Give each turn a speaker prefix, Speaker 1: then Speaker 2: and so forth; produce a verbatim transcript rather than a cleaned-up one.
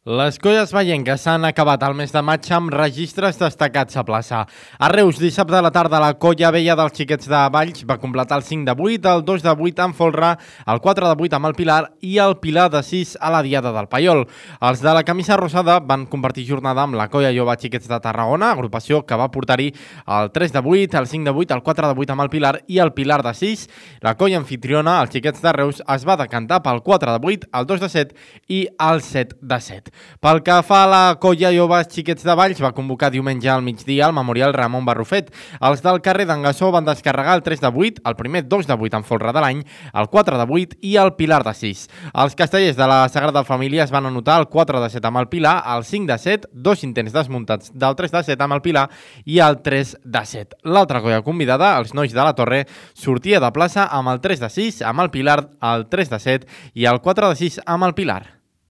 Speaker 1: Les colles vallenques s'han acabat el mes de maig amb registres destacats a plaça. A Reus, dissabte a la tarda, la colla vella dels Xiquets de Valls va completar el cinc de vuit, el dos de vuit amb Folra, el quatre de vuit amb el Pilar i el Pilar de sis a la Diada del Paiol. Els de la camisa rosada van compartir jornada amb la colla jove Xiquets de Tarragona, agrupació que va portar-hi el tres de vuit, el cinc de vuit, el quatre de vuit amb el Pilar i el Pilar de sis. La colla anfitriona, els Xiquets de Reus, es va decantar pel quatre de vuit, el dos de set i el set de set. Pel que fa a la colla jove Xiquets de Valls, va convocar diumenge al migdia al Memorial Ramon Barrufet. Els del carrer d'en Gassó van descarregar el tres de vuit, el primer dos de vuit amb Folra de l'any, el quatre de vuit i el Pilar de sis. Els castellers de la Sagrada Família es van anotar el quatre de set amb el Pilar, el cinc de set, dos intents desmuntats del tres de set amb el Pilar i el tres de set. L'altra colla convidada, els nois de la Torre, sortia de plaça amb el tres de sis, amb el Pilar, el tres de set i el quatre de sis amb el Pilar.